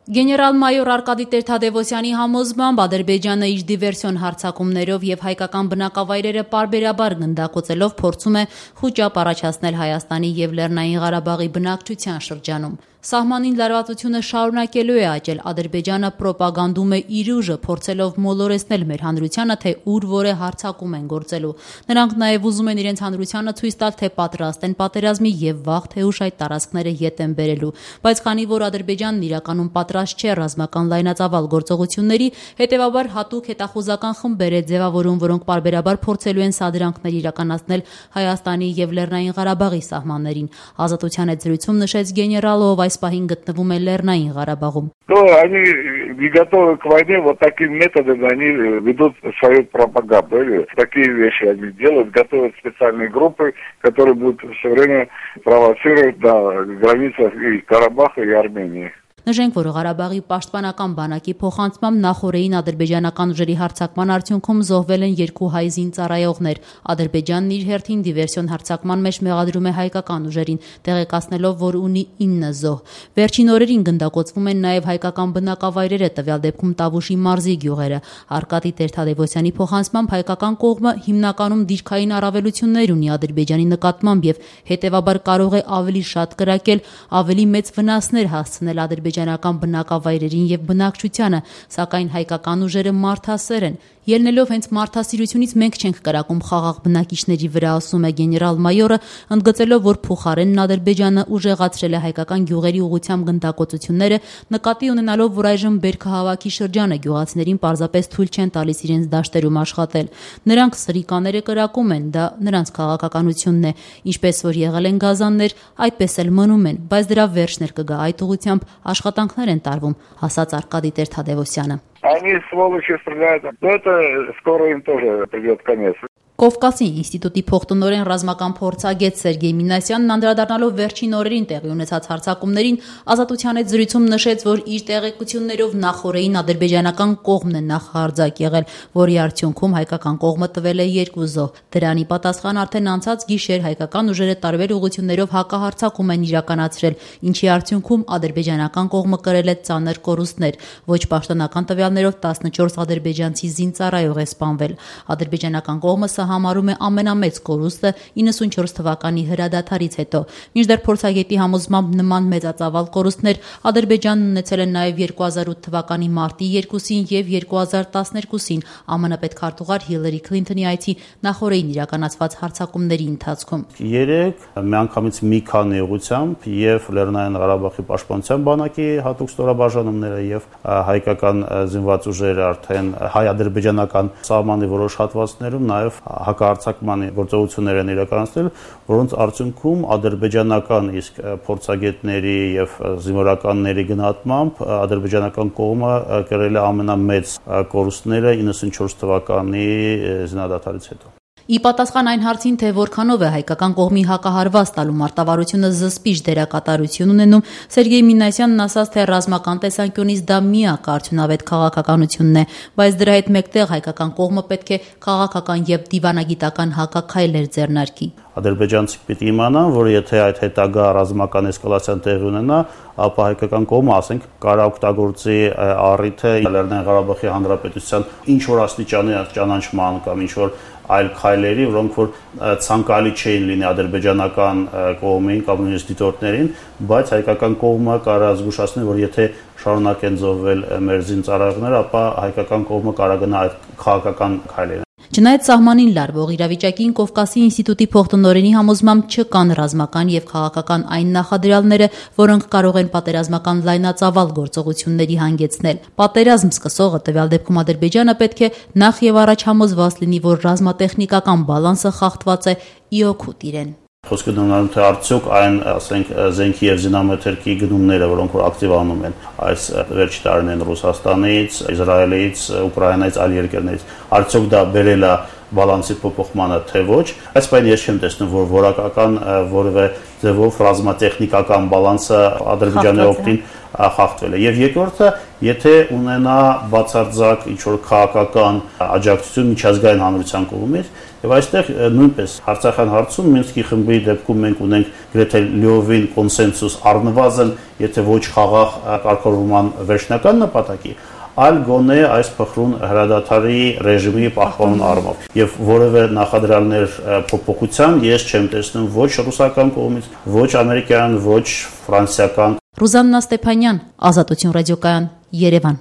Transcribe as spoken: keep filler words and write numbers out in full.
Գեներալ-մայոր Արկադի Տեր-Թադևոսյանի համոզմամբ Ադրբեջանը իր դիվերսիոն հարձակումներով եւ հայկական բնակավայրերը պարբերաբար գնդակոծելով փորձում է խուճապ առաջացնել Հայաստանի եւ Լեռնային Ղարաբաղի բնակչության շրջանում։ Սահմանին լարվածությունը շարունակելու է աճել, Ադրբեջանը պրոպագանդում է իր ուժը, փորձելով մոլորեցնել մեր հանրությանը, թե ուր որ է հարձակում են գործելու։ Նրանք նաև ուզում են իրենց հանրությանը ցույց տալ, թե պատրաստ են պատերազմի եւ վաղ թե ուշ այդ տարածքները ետ են բերելու։ Բայց քանի որ Ադրբեջանն իրականում պատրաստ չէ ռազմական լայնածավալ գործողությունների, հետեւաբար հատուկ հետախուզական խմբեր է ձևավորում, որոնք պարբերաբար փորձելու են սադրանքներ իրականացնել Հայաստանի եւ Լեռնային Ղարաբաղի սահմաններին։ Ազատության հետ զրույցում նշեց գեներալը, ով այս պահին գտնվում է Լեռնային Ղարաբաղում։ То они не готовы к войне, вот такими методами они ведут свою пропаганду. Такие вещи они делают, готовят специальные группы, которые будут все время провоцировать на границах и Карабаха, и Армении. Նշենք, որ Ղարաբաղի պաշտպանական բանակի փոխանցմամբ նախորդին ադրբեջանական ուժերի հարձակման արդյունքում զոհվել են երկու հայ զինծառայողներ։ Ադրբեջանն իր հերթին դիվերսիոն հարձակման մեջ մեղադրում է հայկական ուժերին, տեղեկացնելով, որ ունի ինը զոհ։ Վերջին օրերին գնդակոծվում են նաև հայկական բնակավայրերը, տվյալ դեպքում Տավուշի մարզի գյուղերը։ Արկադի Տեր-Թադևոսյանի փոխանցմամբ հայկական կողմը հիմնականում դիրքային առավելություններ ունի Ադրբեջանի նկատմամբ եւ հետեւաբար կարող է ավելի շատ կրակել, ավելի մեծ վնասներ հասցնել ադրբեջանական բնակավայրերին եւ բնակչությանը, սակայն հայկական ուժերը մարդասեր են։ Ելնելով հենց մարդասիրությունից մենք չենք կրակում խաղաղ բնակիչների վրա, ասում է գեներալ-մայորը, ընդգծելով, որ փոխարենն Ադրբեջանը ուժեղացրել է հայկական գյուղերի ուղղությամբ գնդակոծությունները, նկատի ունենալով, որ այժմ բերքահավաքի շրջանը գյուղացիներին պարզապես թույլ չեն տալիս իրենց դաշտերում աշխատել։ Նրանք սրիկաները կրակում են, դա նրանց քաղաքականությունն է, ինչպես որ եղել են գազաններ, այդպես էլ мնում են, բայց դրա վերջն էլ կգա, այդ ուղղությամբ աշխատանքներ են տարվում, ասաց Արկադի Տեր-Թադևոսյանը։ Они, сволочи, стреляют, но это скоро им тоже придет конец. Կովկասի ինստիտուտի փոխտնօրեն ռազմական փորձագետ Սերգեյ Մինասյանն անդրադառնալով վերջին օրերին տեղի ունեցած հարձակումներին ազատության հետ զրույցում նշեց, որ իր տեղեկություններով նախորդին ադրբեջանական կողմն է նախահարձակ եղել, որի արդյունքում հայկական կողմը տվել է երկու զոհ։ Դրանի պատասխան արդեն անցած գիշեր հայկական ուժերը տարբեր ուղղություններով հակահարձակում են իրականացրել, ինչի արդյունքում ադրբեջանական կողմը կրել է ծանր կորուստներ։ Ոչ պաշտոնական տվյալներով տասնչորս ադրբեջանցի զինծառայող է սպանվել։ Ադրբեջանական կողմը համարում է ամենամեծ կորուստը իննսունչորս թվականի հրադադարից հետո։ Մինչդեռ փորձագետի համոզմամբ նման մեծածավալ կորուստներ Ադրբեջանն ունեցել է նաև երկու հազար ութ թվականի մարտի երկուսին եւ երկու հազար տասներկուսին ԱՄՆ պետքարտուղար Հիլարի Քլինթոնի այցի նախորդին իրականացված հարձակումների ընթացքում։ Երեք միանգամից մի քանի ուղղությամբ եւ Լեռնային Ղարաբաղի պաշտպանության բանակի հատուկ ստորաբաժանումները եւ հայկական զինված ուժերը արդեն հայ-ադրբեջանական սահմանի որոշ հատվածներում նաեւ հակահարձակման գործողություններ են իրականացնել, որոնց արդյունքում ադրբեջանական իսկ փորձագետների եւ զինվորականների գնահատմամբ ադրբեջանական կողմը կրել է ամենամեծ կորուստները իննսունչորս թվականի զինադադարից հետո։ Ի պատասխան այն հարցին, թե որքանով է հայկական կողմի հակահարված տալու մարտավարությունը զսպիչ դերակատարություն ունենում, Սերգեյ Մինասյանն ասաց, թե ռազմական տեսանկյունից դա միակ արդյունավետ քաղաքականությունն է, բայց դրա հետ մեկտեղ հայկական կողմը պետք է քաղաքական եւ դիվանագիտական հակաքայլեր ձեռնարկի։ Ադրբեջանցիք պիտի իմանան, որ եթե այդ հետագա ռազմական էսկալացիան տեղի ունենա, ապա հայկական կողմը, ասենք, կարող օգտագործի առիթը Լեռնային Ղարաբաղի Հանրապետության ինչ որ աստիճանի ճանաչման կամ ինչ որ այլ քայլերի, որոնք որ ցանկալի չէին լինի ադրբեջանական կողմին կամ նույնիսկ դիտորդներին, բայց հայկական կողմը կարող է զգուշացնել, որ եթե շարունակեն զոհվել մեր զինծառայողները, ապա հայկական կողմը կարող գնա այդ քաղաքական քայլերին։ Չնայած սահմանին լարվող իրավիճակին Կովկասի ինստիտուտի փոխտնօրենի համոզմամբ չկան ռազմական եւ քաղաքական այն նախադրյալները, որոնք կարող են պատերազմական լայնածավալ գործողությունների հանգեցնել։ Պատերազմ սկսողը տվյալ դեպքում Ադրբեջանը պետք է նախ եւ առաջ համոզված լինի, որ ռազմատեխնիկական բալանսը խախտված է ի օգուտ իրեն։ Խոսքը դառնում թե արդյոք այն, ասենք, զենքի եւ զինամթերքի գնումները, որոնք որ ակտիվանում են այս վերջի տարիներին Ռուսաստանից, Իսրայելից, Ուկրաինայից, այլ երկրներից, արդյոք դա բերել է բալանսի փոփոխմանը թե ոչ, այս բանը ես չեմ տեսնում, որ որակական որևէ ձևով ռազմատեխնիկական բալանսը Ադրբեջանի օգտին խախտվել է։ Եվ երկրորդը, եթե ունենա բացարձակ ինչ-որ քաղաքական աջակցություն միջազգային հանրության կողմից, եւ այստեղ նույնպես Արցախյան հարցում Մինսկի խմբի դեպքում մենք ունենք գրեթե լիովին կոնսենսուս առնվազն, եթե ոչ խաղաղ կարգավորման վերջնական նպատակի, այլ գոնե այս փխրուն հրադադարի ռեժիմի պահպանման առումով եւ որևէ նախադրյալներ փոփոխության ես չեմ տեսնում ոչ ռուսական կողմից, ոչ ամերիկյան, ոչ ֆրանսիական։ Ռուզաննա Ստեփանյան, Ազատություն ռադիոկայան, Երևան։